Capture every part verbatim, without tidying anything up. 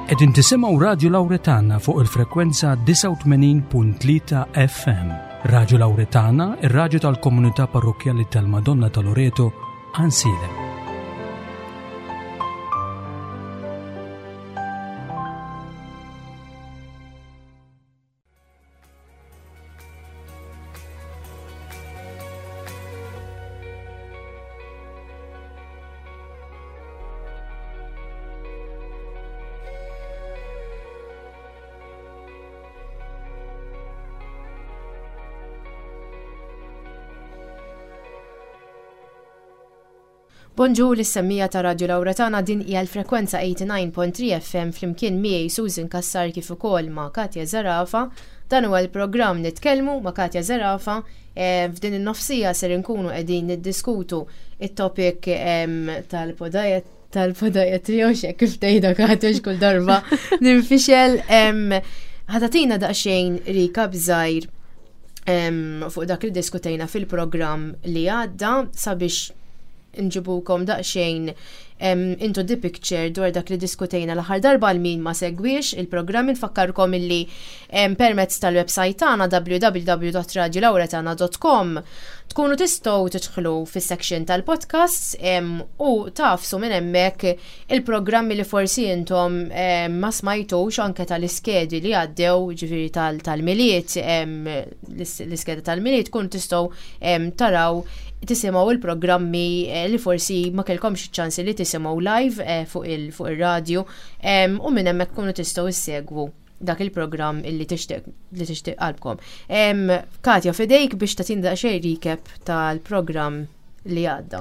Qegħdin tisimgħu Radio Lauretana fuq il-frekwenza disgħa u tmenin punt tlieta F M. Radio Lauretana, ir-radju tal-komunità parrokjali tal-Madonna ta' Loreto, Għajnsielem. Bonġu lis-semmiegħa ta' Radio Lauretana. Din hija l-frekwenza tmienja u tmenin punt tlieta F M flimkien miegħi Susan Kassar kif ukoll ma' Katja Zarafa. Dan huwa l-programm Nitkellmu ma' Katja Zarafa. E, F'din in-nofsija ser inkunu qegħdin niddiskutu it-topic tal-podiat tal-podiatry u xek kif tgħidha, Katja, kull darba ninfixel. Ħa tagħtina daqsxejn recap żgħir fuq dak li diskutejna fil-programm li għadda sabiex nġibukom daqsxejn into the picture dwar dak li diskutejna l-aħħar darba għal min ma segwix il-programm. Nfakkarkom illi permezz tal-website tagħna w w w punt radiolauretana punt com tkunu tistgħu tidħlu fis-section tal-podcasts u tagħfsu minn hemmhekk il-programmi li forsi intom ma smajtux, anke tal-iskedi li għaddew, ġifieri tal-Milied, l-iskeda tal-Milied, tkunu tistgħu taraw, tisimgħu il-programmi eh, li forsi ma kellkomx ċans li tisimgħu live eh, fuq il-radio u minn hemmhekk kunu tistgħu issegwu dak il-programm illi tixtieq li tixtieq qalbkom. Katja, f'idejk biex tagħtina daqsxejn recap tal-programm li għadda.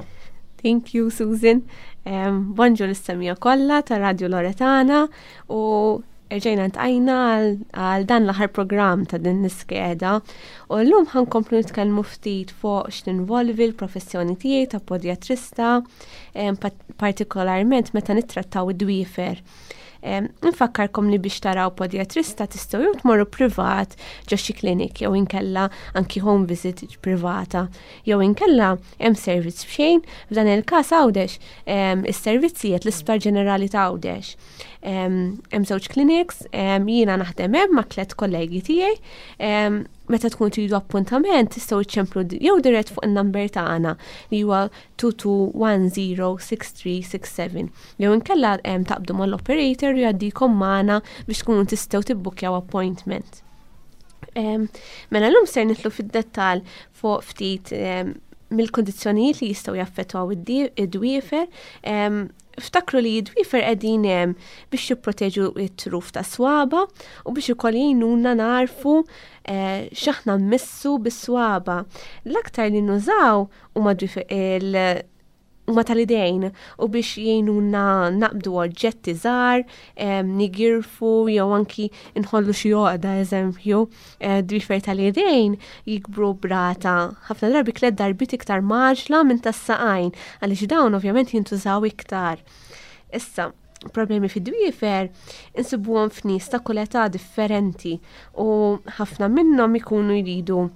Thank you, Susan. Um, Bonġu lis-semmiegħa kollha ta' Radio Loretana u rġajna ltqajna għal dan l-aħħar programm ta' din l-iskeda u llum ħa nkomplu nitkellmu ftit fuq x'tinvolvi l-professjoni tiegħi ta' podiatrista, partikolarment meta nittrattaw id-dwiefer. Nfakkarkom li biex taraw podiatrista tistgħu jew tmorru privat ġo xi klinik jew inkella anki home visit privata jew inkella hemm servizz b'xejn. F'dan il-każ Għawdex is-servizzijiet l-Isptar Ġenerali ta' Għawdex. Hemm żewġ clinics, jiena naħdem hemm ma' tliet kollegi tiegħi. Meta tkun tridu appuntament tistgħu iċċemplu jew dirett fuq in-number tagħna li huwa tnejn tnejn wieħed żero sitta tlieta sitta seba' jew inkella taqbdu mal-operator u jgħaddikom magħna biex tkunu tistgħu tibbukkjaw appointment. Mela llum ser nidħlu fid-dettall fuq ftit mill-kondizzjonijiet li jistgħu jaffettwaw id-dwiefer. Ftakru li id-dwiefer qegħdin hemm biex jipproteġu it-truf ta' swaba u biex ukoll jgħinuna narfu eh, x'aħna mmissu bis-swaba. L-aktar li nużaw huma il huma tal-idejn u biex jgħinuna naqbdu oġġetti żgħar, nigirfu jew anki nħollu xi għoqda, eżempju. Eh, dwiefer tal-idejn jikbru b'rata ħafna drabi tliet darbiet iktar mgħaġġla minn tas-saqajn għaliex dawn ovvjament jintużaw iktar. Issa, problemi fid-dwiefer insibuhom f'nies ta' kull età differenti u ħafna minnhom ikunu jridu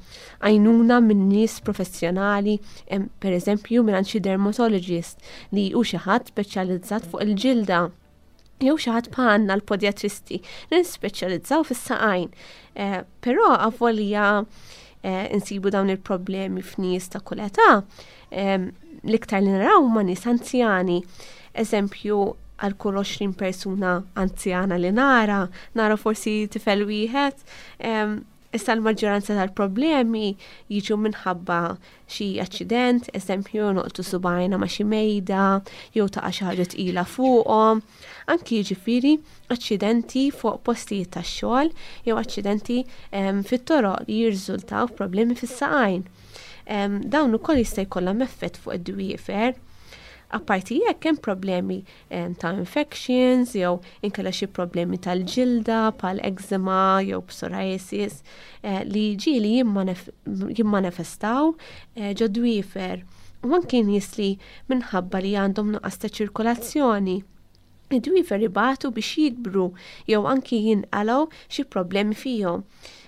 għajnuna minn nies professjonali, per eżempju minn xi dermatologist li hu xi ħadd speċjalizzat fuq il-ġilda jew xi ħadd bħalna l-podiatristi li nispeċjalizzaw fis-saqajn. Eh, però avolja eh, insibu dawn il-problemi f'nies ta' kull età, l-iktar li naraw ma' nies anzjani. Eżempju, għal kull għoxrin persuna anzjana li nara, nara forsi tifel wieħed. Issa l-maġġoranza tal-problemi jiġu minħabba xi aċċident, eżempju noqtu subajna ma' xi mejda, jew taqa' xi ħaġa tqila fuqhom. Anki jiġifieri aċċidenti fuq postijiet tax-xogħol jew aċċidenti fit-toroq li jirriżultaw f'problemi fis-saqajn. Dawn ukoll jista' jkollhom effett fuq id-dwiefer. Apparti jekk hemm problemi ta' infections jew inkella xi problemi tal-ġilda bħal eczema jew psoriasis eh, li ġieli jimmanifestaw eh, ġo dwiefer. U anki nies li minħabba li għandhom nuqqas ta' ċirkolazzjoni, id-dwiefer ibatu biex jikbru jew anki jinqalgħu xi problemi fihom.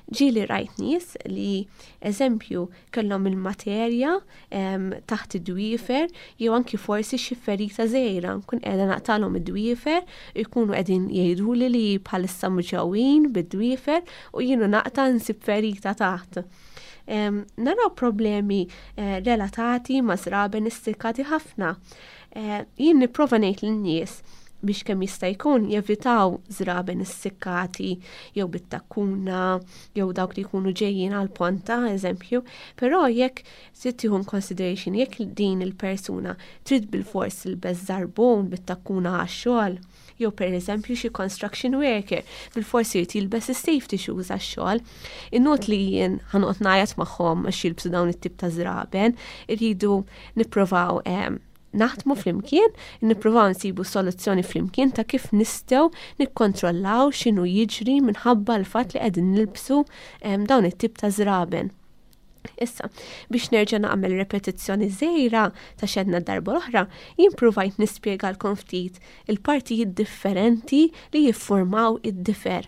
Ġieli rajt nies li, eżempju, kellhom il-materja taħt id-dwiefer jew anki forsi xi ferita żgħira, nkun qiegħda naqtalhom id-dwiefer, jkunu qegħdin jgħiduli li bħalissa muġgħuin bid-dwiefer u jienu naqta' nsib ferita taħt. Naraw problemi eh, relatati ma' żraben issikkati ħafna. Eh, jien nipprova ngħid lin-nies biex kemm jista' jkun jevitaw żraben issikkati jew bit-takkuna jew dawk li jkunu ġejjin għal ponta, eżempju, però jekk trid tieħu consideration jekk din il-persuna trid bilfors tilbes żarbun bit-takkuna għax-xogħol, jew per eżempju xi construction worker bilfors irid jilbes is-safety shoes għax-xogħol. Inut li jien ħa noqgħod ngħajjat magħhom għax jilbsu dawn it-tip ta' żraben, irridu nippruvaw naħdmu flimkien, nippruvaw nsibu soluzzjoni flimkien ta' kif nistgħu nikkontrollaw x'inhu jiġri minħabba l-fatt li qegħdin nilbsu dawn it-tip ta' żraben. Issa, biex nerġa' nagħmel repetizzjoni żgħira ta' x'għedna darba l-oħra, jien provajt nispjegalkom ftit il-partijiet differenti li jiffurmaw id-difer.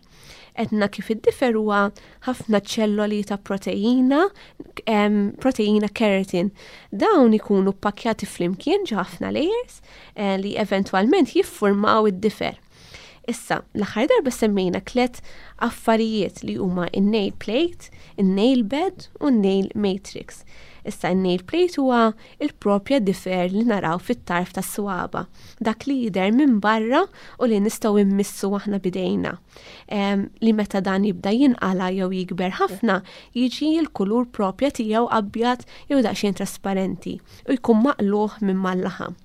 Għedna kif id-difer huwa ħafna ċelloli ta' proteina, proteina keratin. Dawn ikunu pakkjati flimkien ġo ħafna layers eh, li eventwalment jiffurmaw id-difer. Issa, l-aħħar darba semmejna tliet affarijiet li huma in-nail plate, in-nail bed u n-nail matrix. Issa, in-nail plate huwa il-propja difer li naraw fit-tarf tas-swaba, dak li jidher minn barra u li nistgħu immissu aħna bidejna. Li meta dan jibda jinqala jew jikber ħafna, jiġi l-kulur propja tiegħu abjad jew daqsxejn trasparenti u jkun maqluħ minn mal-laħam.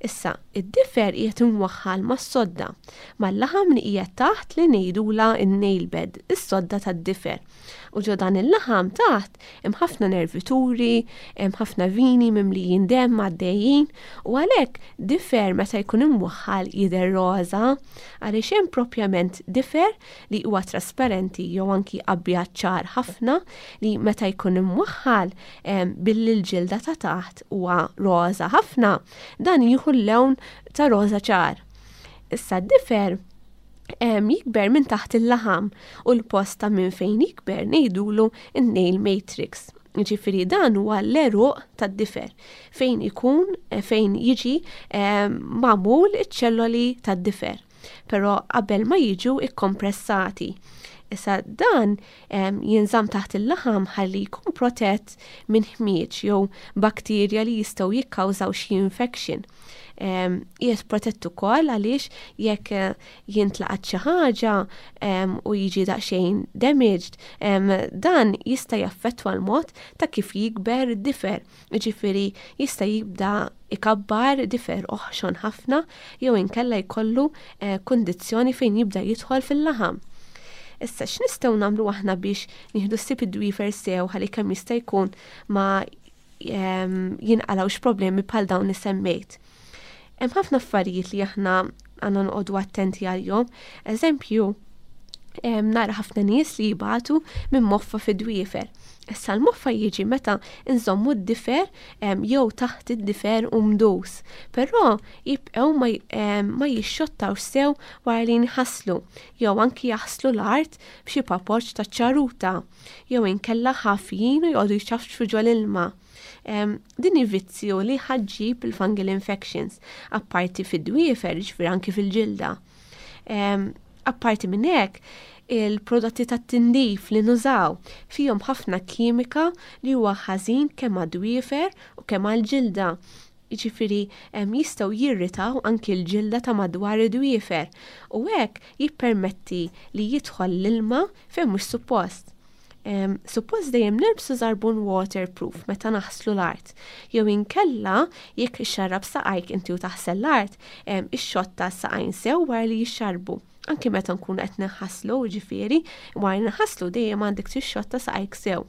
Issa, id-difer qiegħed imwaħħal mas-sodda, mal-laħam li qiegħed taħt li ngħidula n-nail bed, is-sodda tad-difer. U ġo dan il-laħam taħt hemm ħafna nervituri, hemm ħafna vini mimlijin demm għaddejjin u għalhekk difer meta jkun imwaħħal jidher roża, għaliex hemm propjament difer li huwa trasparenti jew anki abjad ċar ħafna li meta jkun imwaħħal billi l-ġilda ta' taħt huwa roża ħafna, dan jieħu l-lewn ta' roża ċar. Issa, d-difer jikber minn taħt il-laħam u l-post ta' minn fejn jikber ngħidulu n-nail matrix. Ġifieri dan huwa l-għeruq tad-difer fejn ikun fejn jiġi magħmul iċ-ċelloli tad-difer, però qabel ma jiġu ikkompressati. Issa, dan jinżamm taħt il-laħam ħalli jkun protett minn ħmieġ jew bakterja li jistgħu jikkawżaw xi infection. Qiegħed protett ukoll għaliex jekk eh, jintlaqat xi ħaġa u jiġi daqsxejn damaged, dan jista' jaffettwa l-mod ta' kif jikber difer. Ġifieri jista' jibda ikabbar difer oħxon ħafna jew inkella jkollu eh, kundizzjoni fejn jibda jidħol fil-laħam. Issa, x'nistgħu nagħmlu aħna biex nieħdu ħsieb id-dwiefer sew ħalli kemm jista' jkun ma jinqalawx problemi bħal dawn li semmejt? Hemm ħafna affarijiet li aħna għandna noqogħdu attenti għalihom. Eżempju, nara ħafna nies li jibatu minn moffa fid-dwiefer. Issa, l-moffa jiġi meta nżommu d-difer jew taħt id-difer u mdus, però jibqgħu ma, ma jixxottawx sew wara li nħaslu, jew anki jaħslu l-art b'xi papoċ ta' ċaruta, jew inkella ħafjin u joqogħdu jċafċfu ġol-ilma. Din vizzju li ħa ġġib il-fungal infections, apparti fid-dwiefer, ġifieri anki fil-ġilda. Apparti minn hekk, il-prodotti tat-tindif li nużaw fihom ħafna kimika li huwa ħażin kemm għad-dwiefer u kemm għall-ġilda. Jiġifieri jistgħu jirritaw anki l-ġilda ta' madwar id-dwiefer u hekk jippermetti li jidħol l-ilma fejn mhux suppost. Suppost dejjem nilbsu żarbun waterproof meta naħslu l-art. Jew inkella jekk ixxarrab saqajk inti u taħsel l-art, ixxotta saqajn sew wara li jixxarbu. Anki meta nkunu qed nħaslu, ġifieri, wara nħaslu dejjem għandek tixxotta saqajk sew.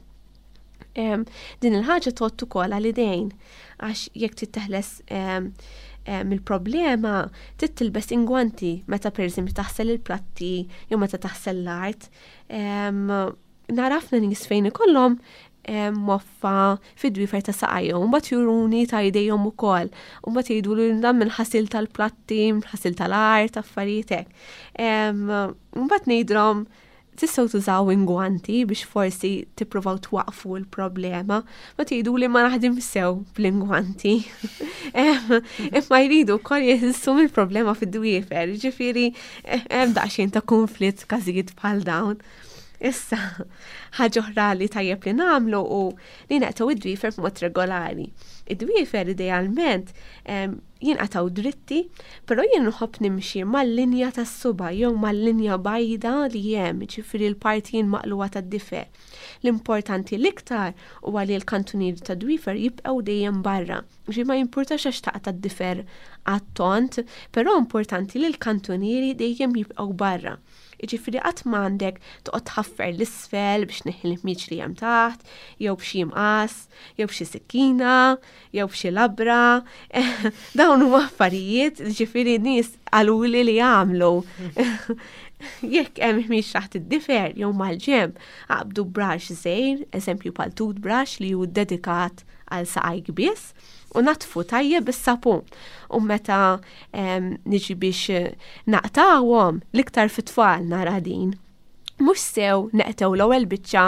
Din il-ħaġa tgħodd ukoll għal idejn, għax jekk trid teħles mill-problema trid tilbes ingwanti meta, pereżempju, taħsel il-platti jew meta taħsel l-art. Nara ħafna nies fejn ikollhom moffa fid-dwiefer ta' saqajhom, mbagħad juruni ta' jdejhom ukoll, u mbagħad jgħidu li dan minn ħasil tal-platti, minn ħasil tal-art, affarijiet hekk. Mbagħad ngħidlhom Tistgħu tużaw ingwanti biex forsi tippruvaw twaqfu l-problema, ma tgħidu li ma naħdim sew bl-ingwanti. Imma jridu wkoll jeħilsu mill-problema fid-dwiefer, ġifieri hemm daqsxejn ta' konflitt każijiet bħal dawn. Issa, ħaġa oħra li tajjeb li nagħmlu u li naqtgħu id-dwiefer b'mod regolari. Id-dwiefer idealment jinqatgħu dritti, però jien nħobb nimxi mal-linja tas-suba jew mal-linja bajda li hemm, ġifieri l-parti maqlugħa tad-difer. L-importanti l-iktar huwa li l-kantunieri tad-dwiefer jibqgħu dejjem barra. Ġi ma jimpurtax għax taqta' d-difer għat-tont, però importanti li l-kantunieri dejjem jibqgħu barra. Jiġifieri qatt m'għandek toqgħod tħaffer l-isfel biex tneħħi l-ħmieġ li hemm taħt, jew b'xi mqas, jew b'xi sikkina, jew b'xi labra. Dawn huma affarijiet ġifieri nies qaluli li jagħmlu. Jekk hemm ħmieġ taħt id-difer jew mal-ġenb, aqbdu brush żgħir, eżempju bħal toothbrush li hu dedikat għal saqajk biss, u natfu tajjeb bis-sapun. U meta niġi biex naqtawhom l-iktar fit-tfal nara din. Mhux sew neqtew l-ewwel biċċa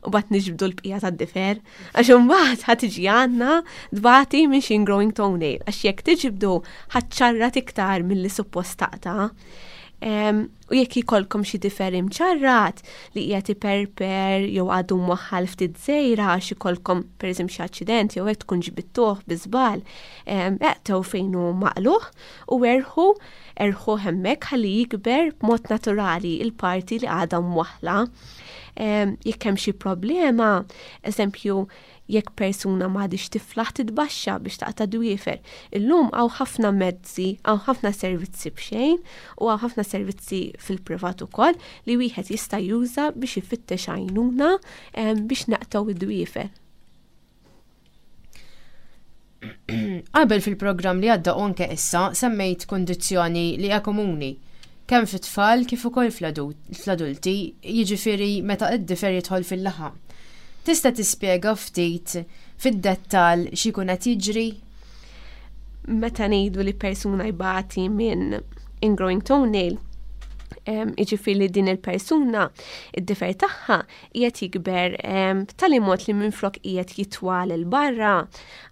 u bat niġbdu l-bqija tad-difer, għax imbagħad ħa tiġi għandna tbati minn xi ingrowing toenail, għax jekk tiġbdu ħa ċċarrat iktar milli suppost taqta'. U jekk jkollkom xi difer imċarrat li qiegħed iperper jew għadu mwaħħal ftit żejra għax ikollkom pereżempju xi aċċident jew hekk tkun ġbidtuh bi żball, eqtew fejn hu maqlugħ u erħu erħu hemmhekk ħalli jikber b'mod naturali il-parti li għadha mwaħħla. Jekk hemm xi problema, eżempju, jekk persuna m'għadix tiflaħ titbaxxa biex taqta' dwiefer. Illum hawn ħafna mezzi, hawn ħafna servizzi b'xejn u hawn ħafna servizzi fil-privat ukoll li wieħed jista' juża biex ifittex għajnuna biex naqtgħu id-dwiefer. Qabel fil-programm li għadda u anke issa semmejt kundizzjoni li hija komuni kemm fit-tfal kif ukoll fl-adulti, jiġifieri meta id-difer jidħol fil-laħam. Tista' tispjega ftit fid-dettall x'ikun qed jiġri? Meta ngħidu li persuna jbati minn ingrowing toenail, jiġifieri li din il-persuna id-difer tagħha qiegħed jikber b'tali mod li minflok qiegħed jitwal 'il barra,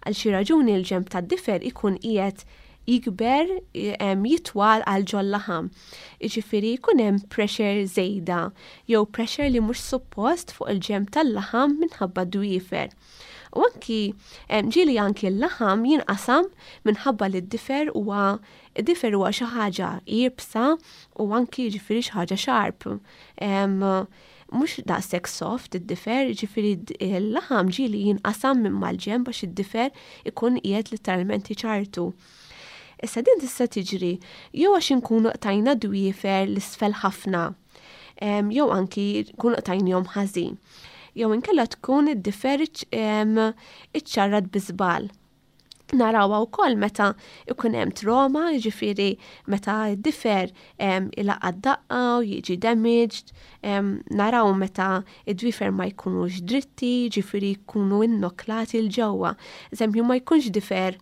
għal xi raġuni l-ġenb tad-difer ikun qiegħed jikber jitwal għal ġol-laħam. Jiġifieri jkun hemm pressure żejda jew pressure li mhux suppost fuq il-ġenb tal-laħam minħabba dwiefer. U anki ġieli anki l-laħam jinqasam minħabba li d-difer huwa id-difer huwa xi ħaġa iebsa u anki jiġifieri xi ħaġa sharp. Mhux daqshekk soft id-difer, jiġifieri l-laħam ġieli jinqasam minn mal-ġenb għax id-difer ikun qiegħed letteralment iċartu. Issa din tista' tiġri jew għax inkunu qtajna dwiefer l-isfel ħafna, jew anki nkunu qtajnihom ħażin. Jew inkella tkun id-difer iċċarrat bi żball. Narawha wkoll meta ikun hemm trauma, jiġifieri meta d-difer ilaqqa d-daqqa u jiġi damaged, naraw meta id-dwiefer ma jkunux dritti, jiġifieri jkunu innoklati 'l ġewwa. Eżempju, ma jkunx difer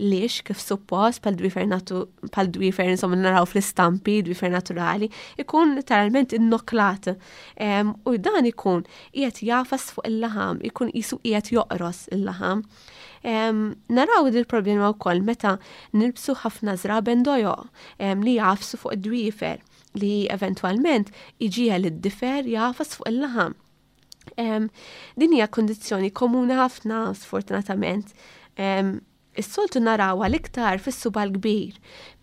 lix kif suppost bħal dwiefer natu, bħal dwiefer insomma naraw fl-istampi, dwiefer naturali, ikun literalment innoklat. U dan ikun qiegħed jafas fuq il-laħam, ikun qisu qiegħed joqros il-laħam. Naraw din il-problema wkoll meta nilbsu ħafna żraben dojoq li jafsu fuq id-dwiefer li eventwalment iġiegħel id-difer jafas fuq il-laħam. Din hija kundizzjoni komuni ħafna sfortunatament. Is-soltu narawha l-iktar fis-suba l-kbir,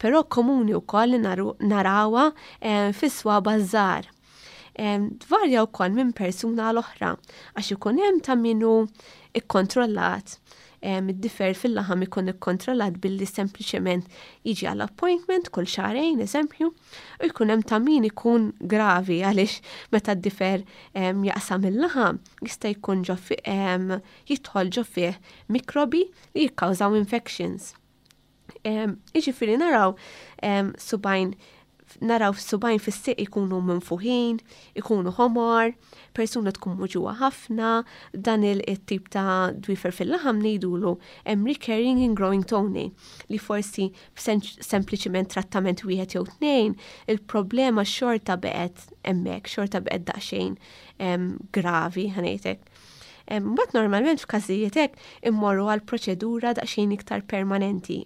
però komuni wkoll li narawha fis-swaba żgħar. Tvarja wkoll minn persuna għal oħra għax ikun hemm ta' min hu ikkontrollat. Id-difer fil-laħam ikun ikkontrollat billi sempliċement jiġi għall appointment kull xahrejn, eżempju, u jkun hemm ta' min ikun gravi għaliex meta d-difer jaqsam il-laħam jista' jkun ġo fi-, jidħol ġo fih mikrobi li jikkawżaw infections. Jiġifieri naraw subajn Naraw subgħajn fis-sieq ikunu minfuħin, ikunu ħomor, persuna tkun muġugħa ħafna, dan il-tip ta' dwifer fil-laħam ngħidulu hemm recurring ingrowing toenail, li forsi sempliċiment trattament wieħed jew tnejn, il-problema xorta baqgħet hemmhekk, xorta baqgħet daqsxejn gravi, ħa ngħidlek. Mbagħad normalment f'każijiet hekk immorru għal proċedura daqsxejn iktar permanenti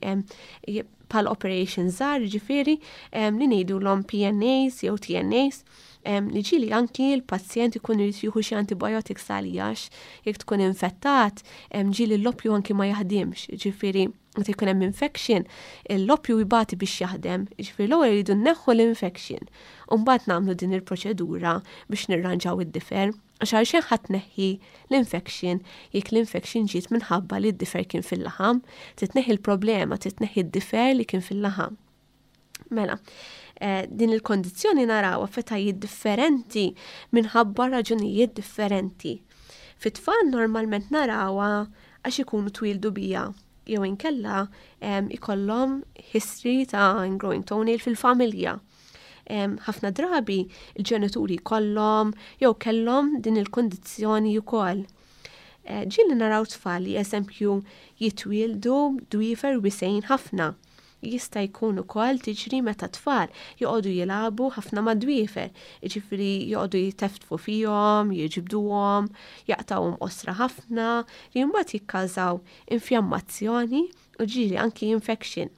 bħal operation żgħar, ġifieri li ngħidulhom P N As jew T N As, li ġieli anki l-pazjent ikun irid jieħu xi antibiotics għaliex jekk tkun infettat, ġieli l-loppju anki ma jaħdimx, ġifieri meta jkun hemm infection, il-loppju jbati biex jaħdem, ġifieri l-ewwel jridu nneħħu l-infection. U mbagħad nagħmlu din il-proċedura biex nirranġaw id-difer. Għax għal xejn ħa tneħħi l-infection jekk l-infection ġiet minħabba li d-difer kien fil-laħam, titneħħi l-problema, titneħħi d-difer li kien fil-laħam. Mela, eh, din il-kondizzjoni naraw f'etajiet differenti minħabba raġunijiet differenti. Fit-tfal normalment narawha għax ikunu twildu biha jew inkella ikollhom history ta' ingrowing toenail fil-familja. Ħafna drabi il-ġenituri kollhom jew kellhom din il-kondizzjoni wkoll. Eh, ġieli naraw tfal li, eżempju, jitwieldu dwifer wisgħin ħafna. Jista' jkun ukoll tiġri meta tfal joqogħdu jilagħbu ħafna mad-dwifer, jiġifieri joqogħdu jiteftfu fihom, jiġbduhom, jaqtawhom qosra ħafna, li mbagħad jikkawżaw infjammazzjoni u ġieli anki infection.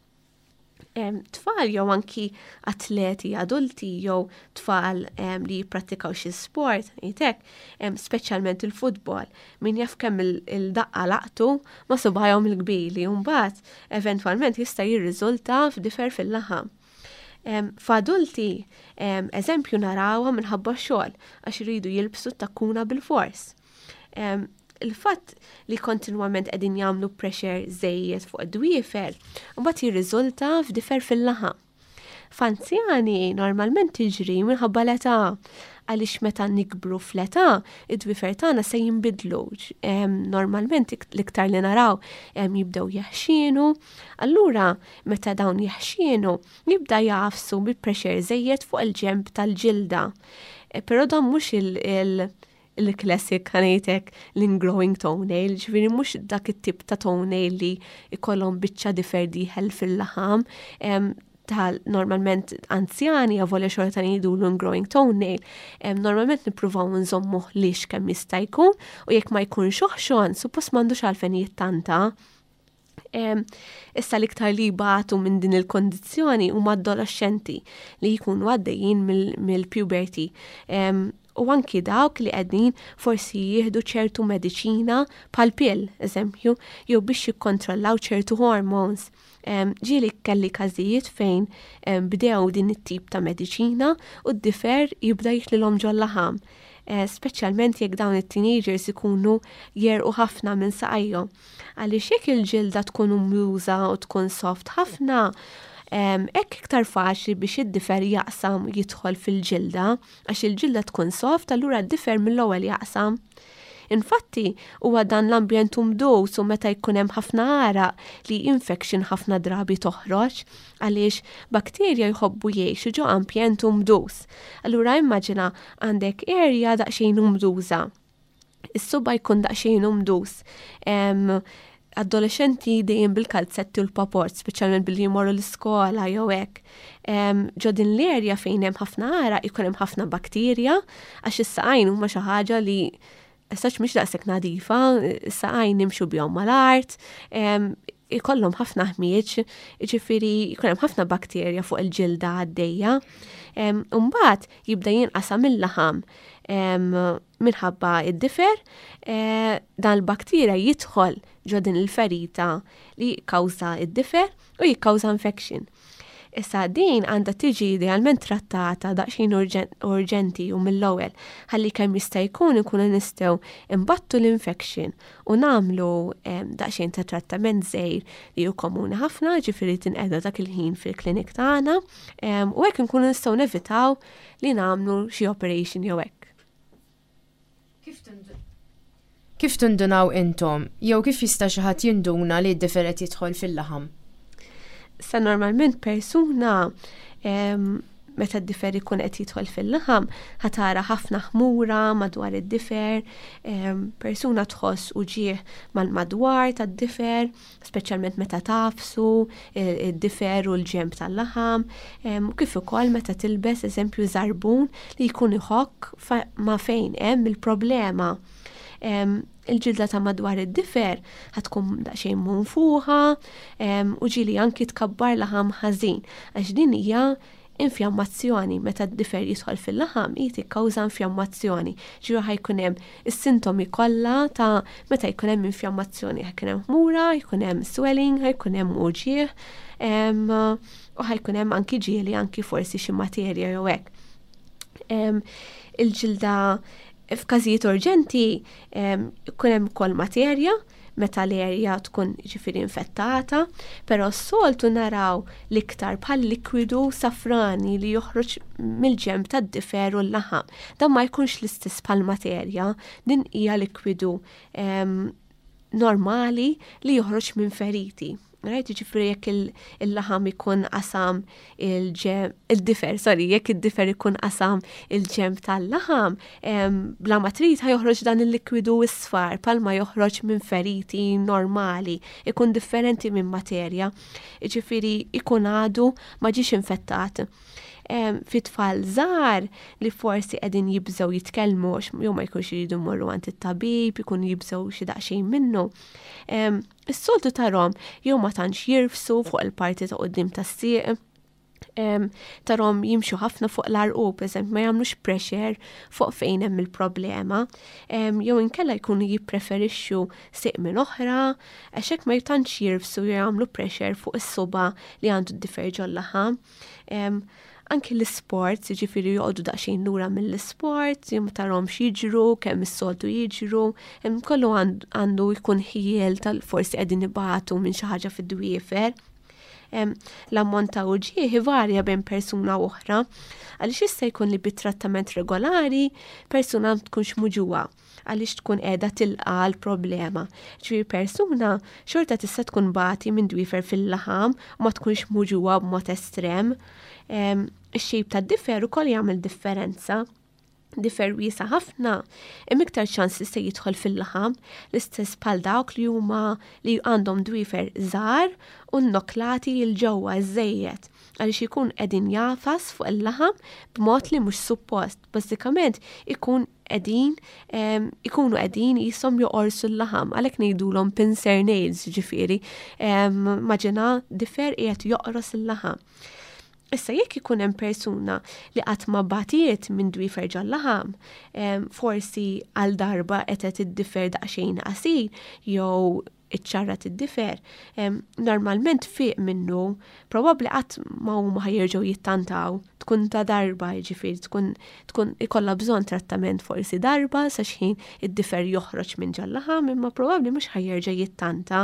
Tfal jew anki atleti adulti jew tfal li jippratikaw xi sport, jitek, speċjalment il-futbol, min jaf kemm il-daqqa laqtu ma' subgħajhom il-kbir li mbagħad eventwalment jista' jirriżulta f'difer fil-laħam. F'adulti, eżempju, narawha minħabba xogħol għax iridu jilbsu takkuna bil-fors. Il-fatt li kontinwament qegħdin jagħmlu pressure żejjed fuq id-dwiefer, mbagħad jirriżulta f'difer fil-laħam. F'anzjani normalment tiġri minħabba l-età, għaliex meta nikbru fl-età, id-dwiefer tagħna se jinbidlu. Normalment l-iktar li naraw jibdew jeħxienu, allura meta dawn jeħxienu jibda jagħfsu bi pressure żejjed fuq il-ġenb tal-ġilda. E, però dan mhux il- il-classic, ħa ngħidlek, l-ingrowing toenail, ġifieri mhux dak it-tip ta' toenail li ikollhom biċċa difer dieħel fil-laħam, tal normalment anzjani, avolja xorta ngħidu l-ingrowing toenail, normalment nippruvaw nżommuh lixx kemm jista' jkun u jekk ma jkunx oħxon, suppost m'għandux għalfejn jittanta. Issa l-iktar li batu minn din il-kondizzjoni huma adolescenti li jkunu għaddejjin mill-puberty u anki dawk li qegħdin forsi jieħdu ċertu mediċina bħal pill, eżempju, jew biex jikkontrollaw ċertu hormones. Ġieli kelli każijiet fejn bdew din it-tip ta' mediċina u d-difer jibda jitlilhom ġol-laħam. Eh, speċjalment jekk dawn it-teenagers ikunu jegħrqu ħafna minn saqajhom. Għaliex jekk il-ġilda tkun umduża u tkun soft ħafna, hekk iktar faċli biex id-difer jaqsam, jidħol fil-ġilda, għax il-ġilda tkun soft, allura d-difer mill-ewwel jaqsam. Infatti, huwa dan l-ambjent umdus u meta jkun hemm ħafna għaraq li infection ħafna drabi toħroġ, għaliex bakterja jħobbu jgħixu ġo ambjent umdus. Allura immaġina għandek area daqsxejn umduża. Is-suba jkun daqsxejn umdus. Adolescenti dejjem bil-kalzetti u l-paport, speċjalment billi jmorru l-iskola jew hekk. Ġo din l-erja fejn hemm ħafna għaraq jkun hemm ħafna bakterja, għax is-saqajn huma xi ħaġa li essaċ mhix daqshekk nadifa, is-saqajn nimxu bihom mal-art, ikollhom ħafna ħmieġ, ġifieri jkun hemm ħafna bakterja fuq il-ġilda għaddejja. Mbagħad jibda jinqasam il-laħam minħabba id-difer, eh, dan il-bakterja jidħol ġo din il-ferita li jikkawża id-difer u jikkawża infection. Issa din għandha tiġi idealment trattata daqsxejn urġenti u mill-ewwel ħalli kemm jista' jkun ikunu nistgħu imbattu l-infection u nagħmlu daqsxejn ta' trattament żgħir li hu komuni ħafna, ġifieri tinqeda dak il-ħin fil-klinik tagħna, u hekk inkunu nistgħu nevitaw li nagħmlu xi operation jew hekk. Kif tindunaw intom, jew kif jista' xi ħadd jinduna li d-difer qed jidħol fil-laħam? Sa normalment persuna Meta d-difer ikun qed jidħol fil-laħam, ħa tara ħafna ħmura madwar id-difer, persuna tħoss uġigħ mal-madwar tad-difer, speċjalment meta tagħfsu id-difer u l-ġenb tal-laħam, u kif ukoll meta tilbes, eżempju, żarbun li jkun iħokk ma' fejn hemm il-problema. Il-ġilda ta' madwar id-difer ħa tkun daqsxejn munfuħa u ġieli anki tkabbar laħam ħażin, għax din hija infjammazzjoni. Meta d-difer jidħol fil-laħam, hi tikkawża infjammazzjoni. Ġifieri ħa jkun hemm is-sintomi kollha ta' meta jkun hemm infjammazzjoni: ħa jkun hemm ħmura, jkun hemm swelling, ħa jkun hemm uġigħ u ħa jkun hemm anki ġieli anki forsi xi materja jew hekk. Il-ġilda f'każijiet urġenti jkun hemm ukoll materja meta l-erja tkun, ġifieri, infettata, però s-soltu naraw l-iktar bħal likwidu safrani li joħroġ mill-ġenb tad-difer u l-laħam. Dan ma jkunx l-istess bħal materja, din hija likwidu normali li joħroġ minn feriti. Right, ġifieri jekk il-laħam ikun qasam il-ġenb, il-difer, sorry, jekk id-difer ikun qasam il-ġenb tal-laħam, bla ma trid ħa joħroġ dan il-likwidu isfar, bħalma joħroġ minn feriti normali, ikun differenti minn materja, ġifieri ikun għadu ma ġiex infettat. Fi tfal żgħar li forsi qegħdin jibżgħu jitkellmu, jew ma jkunx jridu jmorru għand it-tabib, ikun jibżgħu xi daqsxejn minnu. Is-soltu tarahom jew ma tantx jirfsu fuq il-parti ta' quddiem tas-sieq, tarahom jimxu ħafna fuq l-għarqub, eżempju, ma jagħmlux pressure fuq fejn hemm il-problema, jew inkella jkunu jippreferixxu sieq minn oħra, għax hekk ma tantx jirfsu jew jagħmlu pressure fuq is-suba li għandu d-difer ġol-laħam. Anki l-sport, ġifieri joqogħdu daqsxejn lura mill-sport, jew ma tarahomx jiġru, kemm is-soltu jiġru, kollu għandu jkun ħjiel tal forsi qegħdin ibatu minn xi ħaġa fid-dwiefer. L-ammont ta' uġigħ varja bejn persuna u oħra, għaliex jista' jkun li bit-trattament regolari persuna tkunx muġugħa għaliex tkun qiegħda tilqa' l-problema. Ġifieri persuna xorta tista' tkun tbati minn dwiefer fil-laħam u ma tkunx muġugħa b'mod estrem. Ix-shape tad-difer ukoll jagħmel differenza. Difer wiesa' ħafna, hemm iktar ċans li se jidħol fil-laħam, l-istess bħal dawk li huma li għandhom dwiefer żgħar u nnoklati 'l ġewwa żejjed, għaliex ikun qegħdin jagħfas fuq il-laħam b'mod li mhux suppost. Bażikament ikun qegħdin ikunu qegħdin qishom joqorsu l-laħam, għalhekk ngħidulhom pincer nails, ġifieri. Immaġina difer qiegħed joqros il-laħam. Issa, jekk ikun hemm persuna li qatt ma batiet minn dwiefer ġol-laħam, forsi għal darba qed id-difer daqsxejn qasir jew iċċarrat id-difer, normalment fiq minnu, probabbli qatt ma huma ħa jerġgħu jittantaw, tkun ta' darba, ġifieri tkun tkun ikollha bżonn trattament forsi darba sa xħin id-difer joħroġ minn ġol-laħam, imma probabbli mhux ħa jerġa' jittanta.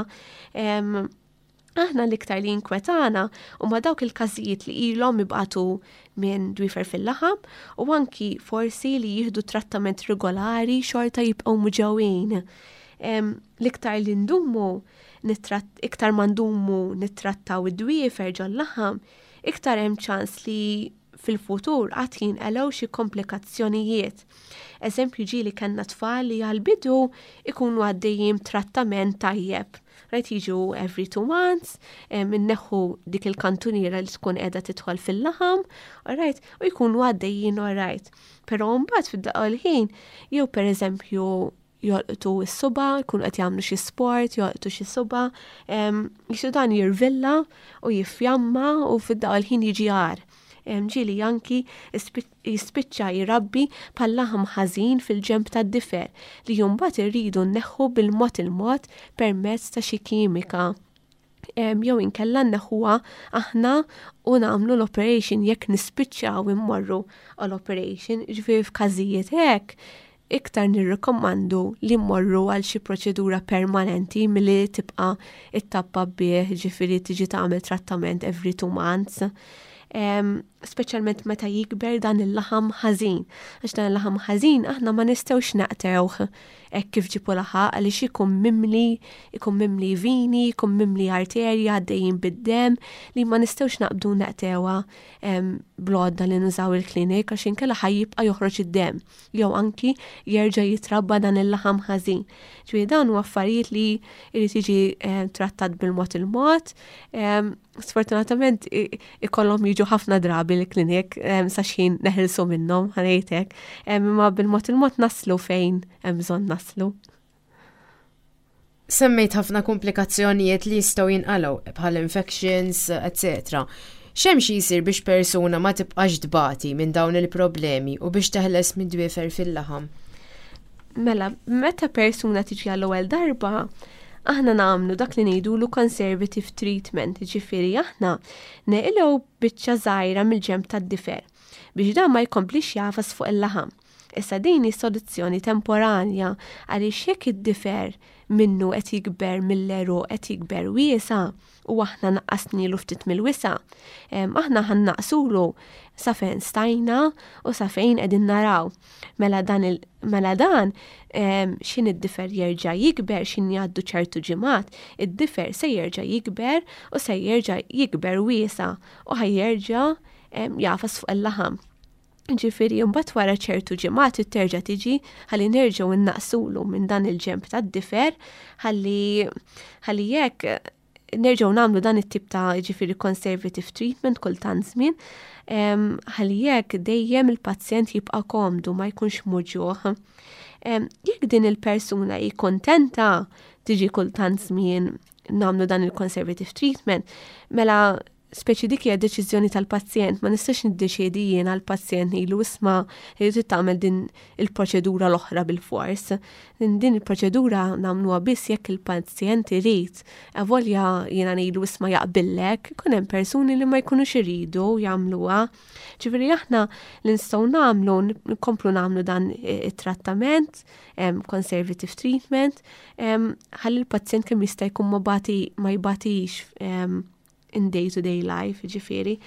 Aħna l-iktar li jinkwetana huma dawk il-każijiet li ilhom ibatu minn dwiefer fil-laħam u anki forsi li jieħdu trattament regolari xorta jibqgħu muġugħin. L-iktar li ndumu, iktar ma ndumu nittrattaw id-dwiefer ġol-laħam, iktar hemm ċans li fil-futur għad jinqalgħu xi komplikazzjonijiet. Eżempju, ġieli kellna tfal li għal-bidu ikunu għaddejjin trattament tajjeb. Right, jiġu every two months, inneħħu dik il-kantuniera li tkun qiegħda tidħol fil-laħam, right, u jkunu għaddejjin alright. Però mbagħad fid-daqqa l-ħin, jew per eżempju jolqtu s-suba, jkunu qed jagħmlu xi sport, jolqtu xi suba, jisu dan jirvilla u jiffjamma u fid-daqqa l-ħin jiġi agħar. Ġieli anki jispiċċa jirabbi bħal laħam ħażin fil-ġenb tad-difer li mbagħad irridu nneħħu bil-mod il-mod permezz ta' xi kimika. Jew inkella nneħħuha aħna u nagħmlu l-operation jekk nispiċċaw immorru għall-operation, ġifieri f'każijiet hekk iktar nirrikommandu li mmorru għal xi proċedura permanenti milli tibqa' ittappa bih, ġifieri tiġi tagħmel trattament every two months. Speċjalment meta jikber dan il-laħam ħażin. Għax dan il-laħam ħażin aħna ma nistgħux naqtgħuh hekk kif ġibu laħaq għaliex ikun mimli, ikun mimli vini, ikun mimli arterja għaddejjin bid-dem li ma nistgħux naqbdu naqtgħuha bl-għodda li nużaw il-klinik għax inkella ħa jibqa' joħroġ id-dem jew anki jerġa' jitrabba dan il-laħam ħażin. Ġifieri dan huwa affarijiet li jrid jiġi trattat bil-mod il-mod. Sfortunatament ikollhom jiġu ħafna drabi l-klinik sa xħin neħilsu minnhom ħa ngħidlek, imma bil-mod il-mod naslu fejn hemm bżonn naslu. Semmejt ħafna komplikazzjonijiet li jistgħu jinqalgħu bħal infections, et cetera. X'hemm xi jsir biex persuna ma tibqax tbati minn dawn il-problemi u biex teħles minn dwiefer fil-laħam? Mela, meta persuna tiġi għall-ewwel darba, aħna nagħmlu dak li ngħidulu conservative treatment, ġifieri aħna neqilgħu biċċa żgħira mill-ġenb tad-difer biex dan ma jkomplix jagħfas fuq il-laħam. Issa din hi soluzzjoni temporanja għaliex jekk id-difer minnu qed jikber mill-għeruq, qed jikber wiesa' u aħna naqqasnilu ftit mill-wisa', aħna ħa nnaqqsulu sa fejn stajna u sa fejn qegħdin naraw. Mela dan il mela dan x'ħin id-difer jerġa' jikber, x'ħin jgħaddu ċertu ġimgħat, id-difer se jerġa' jikber u se jerġa' jikber wiesa' u ħa jerġa' jagħfas fuq il-laħam. Ġifieri, mbagħad wara ċertu ġimgħat terġa' tiġi ħalli nerġgħu nnaqqsulu minn dan il-ġenb tad-difer ħalli ħalli jekk nerġgħu nagħmlu dan it-tip ta' ġifieri conservative treatment kull tant żmien, ħalli jekk dejjem il-pazjent jibqa' komdu, ma jkunx muġugħ. Jekk din il-persuna hi kontenta tiġi kull tant żmien nagħmlu dan il-conservative treatment, mela speċi dik hija deċiżjoni tal-pazjent, ma nistax niddeċiedi jien għall-pazjent ngħidlu, "Isma', trid tagħmel din il-proċedura l-oħra bil-fors." Din, din il-proċedura nagħmluha biss jekk il-pazjent irid. Avolja jiena ngħidlu, "Isma', jaqbillek," ikun hemm persuni li ma jkunux iridu jagħmluha. Ġifieri aħna li nistgħu nagħmlu, nkomplu nagħmlu dan it-trattament, conservative treatment, ħalli l-pazjent kemm jista' jkun ma bati ma jbatix in day-to-day life, ġifieri.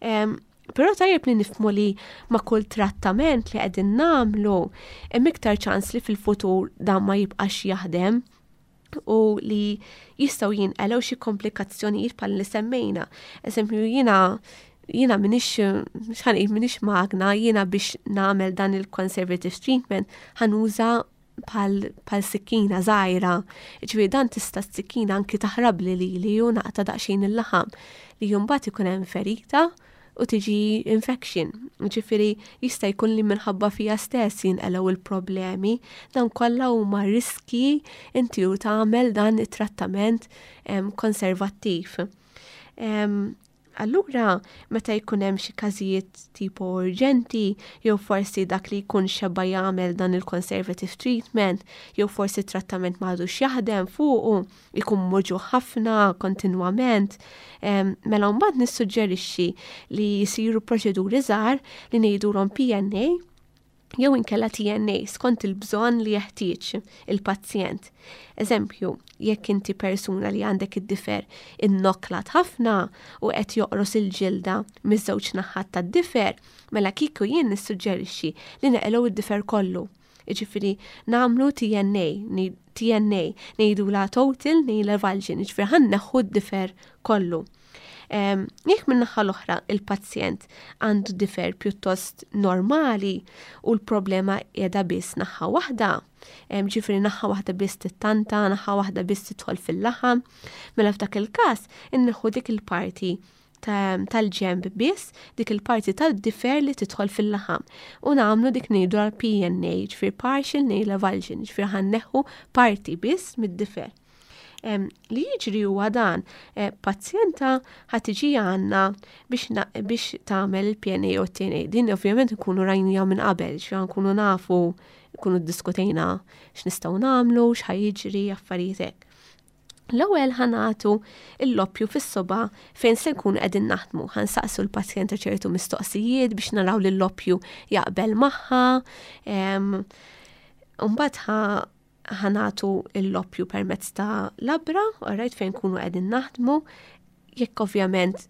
Um, Però tajjeb li nifhmu li ma' kull trattament li qegħdin nagħmlu hemm iktar ċans li fil-futur dan ma jibqax jaħdem u li jistgħu jinqalgħu xi komplikazzjonijiet bħal li semmejna. Eżempju, jiena jiena m'iniex, x'ħa ngħid, m'iniex magna, jiena biex nagħmel dan il-conservative treatment ħa nuża bħal sikkina żgħira. Ġifieri dan tista' s-sikkina anki taħrab li li li ju naqta' daqsxejn il-laħam li mbagħad ikun hemm ferita u tiġi infection. Ġifieri jista' jkun li minħabba fija stess jinqalgħu il-problemi. Dan kollha huma riski inti u tagħmel dan it-trattament konservattiv. Allura, meta jkun hemm xi każijiet tipo urġenti, jew forsi dak li jkun xeba jagħmel dan il-conservative treatment, jew forsi trattament m'għadux jaħdem fuqu, ikun muġugħ ħafna kontinwament, mela mbagħad nissuġġerixxi li jsiru proċeduri żgħar li ngħidulhom P N A jew inkella T N A skont il-bżonn li jeħtieġ il-pazjent. Eżempju, jekk inti persuna li għandek id-difer innoklat ħafna u qed joqros il-ġilda miż-żewġ naħat tad-difer, mela kieku jien nissuġġerixxi li neqilgħu id-difer kollu. Jiġifieri nagħmlu T N A, T N A ngħidulha total nail avulsion, jiġifieri ħa nneħħu d-difer kollu. Jekk min-naħa l-oħra il-pazjent għandu difer pjuttost normali u l-problema qiegħda biss naħa waħda, ġifieri naħa waħda biss tittanta, naħa waħda biss tidħol fil-laħam, mela f'dak il-każ inneħħu dik il-parti tal-ġenb biss, dik il-parti tal-difer li tidħol fil-laħam. U nagħmlu dik ngħidu għal P N A, ġifieri partial nail avulsion, ġifieri ħa nneħħu parti biss mid-difer. Li jiġri huwa dan, eh, pazjenta ħa tiġi għandna biex, biex tagħmel il-P N A u T N A. Din ovvjament nkunu rajnija minn qabel, xi nkunu nafu, nkunu diskutejna x'nistgħu nagħmlu, x'ħa jiġri, affarijiet hekk. L-ewwel ħa nagħtu l-loppju fis-soba fejn se nkunu qegħdin naħdmu. Ħa nsaqsu l-pazjenta ċertu mistoqsijiet biex naraw li l-loppju jaqbel magħha. Mbagħad ħa nagħtu l-loppju permezz ta' labra, alright, fejn nkunu qegħdin naħdmu. Jekk ovvjament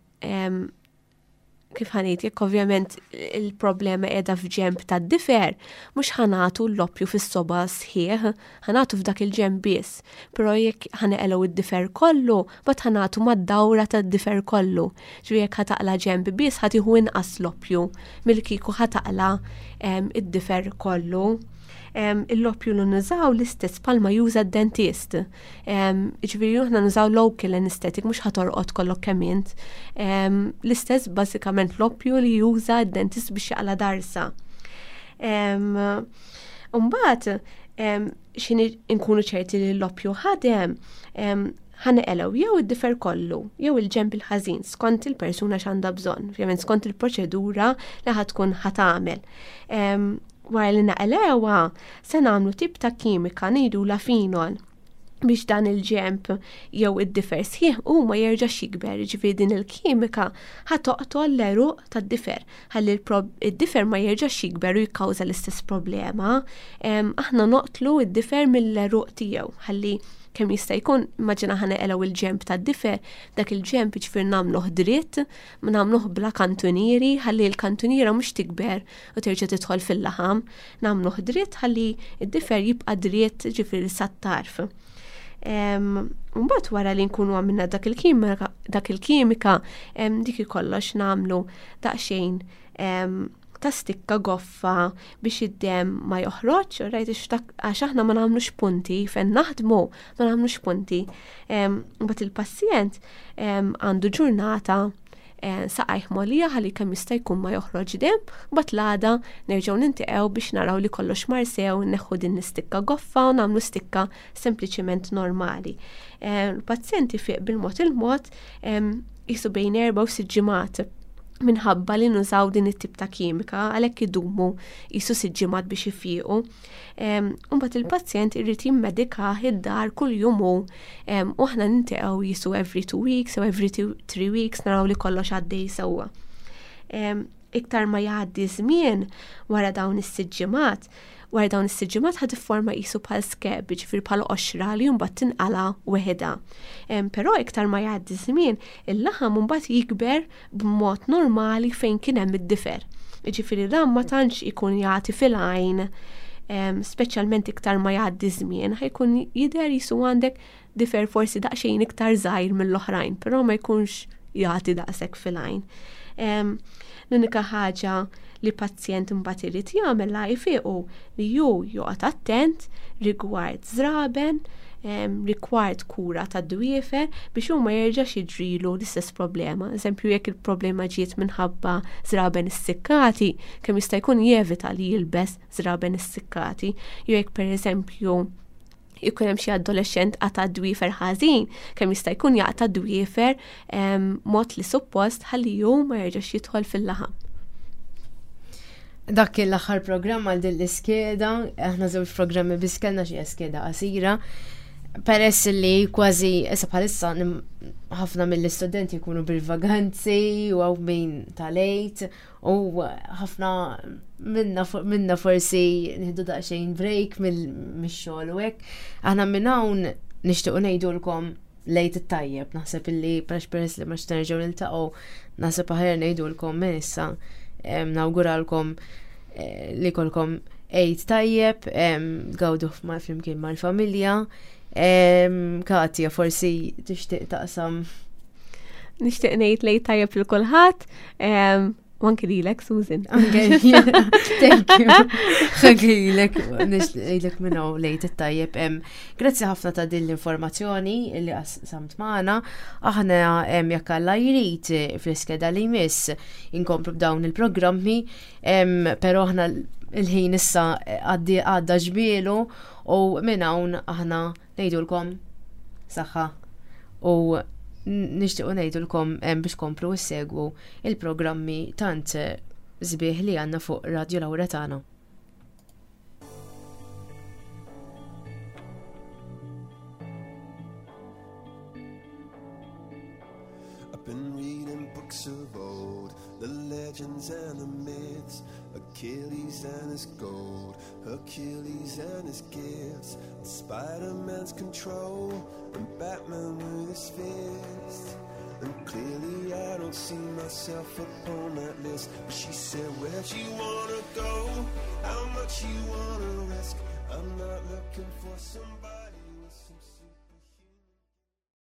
Kif ħa ngħid, jekk ovvjament il-problema qiegħda f'ġemb tad-difer, mhux ħa nagħtu l-oppju fis-soba sħiħ, ħa nagħtu f'dak il-ġemb biss. Però jekk ħa neqilgħu id-difer kollu, mbagħad ħa nagħtu mad-dawra tad-difer kollu. Ġifieri jekk ħa taqla' ġemb biss ħa tieħu inqas l-oppju milli kieku ħa taqla' id-difer kollu. Il-loppju li nużaw l-istess palma juża d-dentist. Ġifieri aħna nużaw local anesthetic, mhux ħa torqod kollok kemm int. L-istess bażikament loppju li juża d-dentist biex jaqla' darsa. Mbagħad x'ħin nkunu ċerti li l-loppju ħadem, ħa neqilgħu jew id-difer kollu, jew il-ġemb il-ħażin, skont il-persuna x'għandha bżonn, ovvjament skont il-proċedura li ħa tkun ħa tagħmel. Wara li naqilgħuha, se nagħmlu tip ta' kimika ngħidulha phenol biex dan il-ġemb jew id-difer sħiħ u ma jerġax jikber, ġifieri din il-kimika ħa toqtol l-għeruq tad-difer, ħalli id-difer ma jerġax jikber u jikkawża l-istess problema. Aħna noqtlu id-difer mill-għeruq tiegħu, ħalli kemm jista' jkun, immaġina ħa neqilgħu il-ġemb tad-difer, dak il-ġemb ġifieri nagħmluh dritt, ma nagħmluh bla kantunieri, ħalli l-kantuniera mhux tikber u terġa' tidħol fil-laħam, nagħmluh dritt ħalli id-difer jibqa' dritt ġifieri sat-tarf. Mbagħad wara li nkunu għamilna dak il-kimika, dak il-kimika, dik kollox nagħmlu daqsxejn ta' stikka goffa biex id-dem ma joħroġ, rajt għax aħna ma nagħmlux punti, fejn naħdmu ma nagħmlux punti. Mbagħad il-pazjent għandu ġurnata saqajh mgħollija ħalli kemm jista' jkun ma joħroġ dem, mbagħad l-għada nerġgħu niltaqgħu biex naraw li kollox mar sew, neħħu din l-istikka goffa u nagħmlu stikka sempliċiment normali. Il-pazjent ifiq bil-mod il-mod jisu bejn erba' u sitt ġimgħat minħabba li nużaw din it-tip ta' kimika, għalhekk idumu jisu sitt ġimgħat biex ifiequ. Mbagħad il-pazjent irid jimmedikah id-dar kull jum hu, u aħna niltaqgħu jisu every two weeks u every two, three weeks naraw li kollox għaddej sewwa. Iktar ma jgħaddi żmien wara dawn is-sitt ġimgħat, wara dawn is-sitt ġimgħat ħa tifforma qisu bħal scab, ġifieri bħal qoxra li mbagħad tinqala weħidha. Però iktar ma jgħaddi żmien, il-laħam mbagħad jikber b'mod normali fejn kien hemm id-difer. Ġifieri dan ma tantx ikun jagħti fil-għajn, speċjalment iktar ma jgħaddi żmien, ħa jkun jidher jisu għandek difer forsi daqsxejn iktar żgħir mill-oħrajn, però ma jkunx jagħti daqshekk fil-għajn. L-unika ħaġa li pazjent imbagħad irid jagħmel la jfiqu li ju joqgħod attent rigward żraben, rigward kura ta' dwiefer biex hu ma jerġax jiġrilu l-istess problema. Eżempju, jekk il-problema ġiet minħabba żraben issikkati, kemm jista' jkun jevita li jilbes żraben issikkati. Jew jekk pereżempju jkun hemm xi adolescent qata' dwiefer ħażin, kemm jista' jkun jaqta' dwiefer mod li suppost ħalli hu ma jerġax jidħol fil-laħam. Dak kien l-aħħar programm għal din l-iskeda, aħna żewġ programmi biss kellna xi skeda qasira. Peress li kważi issa bħalissa ħafna mill-istudenti jkunu bil-vaganzi u hawn min tal-Għid u ħafna minna minna forsi nieħdu daqsxejn break mix-xogħol u hekk. Aħna minn hawn nixtiequ ngħidulkom l-Għid it-tajjeb, naħseb illi peress peress li ma nerġgħu niltaqgħu, naħseb aħjar ngħidulkom minn issa, nawguralkom li jkollkom Għid tajjeb, gawdu flimkien mal-familja. Katja, forsi tixtieq taqsam. Nixtieq ngħid l-Għid tajjeb lil kulħadd, u anki lilek, Susan. Anke thank you. Anke lilek, nixtieq ngħidlek minn hawn l-Għid it-tajjeb. Grazzi ħafna ta' din l-informazzjoni li qsamt magħna. Aħna jekk Alla jrid fl-iskeda li jmiss inkomplu b'dawn il-programmi, però aħna il-ħin issa għaddi għadda ġmielu u minn hawn aħna ngħidulkom saħħa u nixtiequ ngħidulkom biex komplu ssegwu il-programmi tant sbieħ li għandna fuq Radio Lauretana. I've been reading books of old, the legends and the myths, Achilles and his gold, Hercules and his gifts, and Spider-Man's control, and Batman with his fists. And clearly I don't see my myself upon that list. But she said, Where'd you wanna go? How much you wanna risk? I'm not looking for somebody.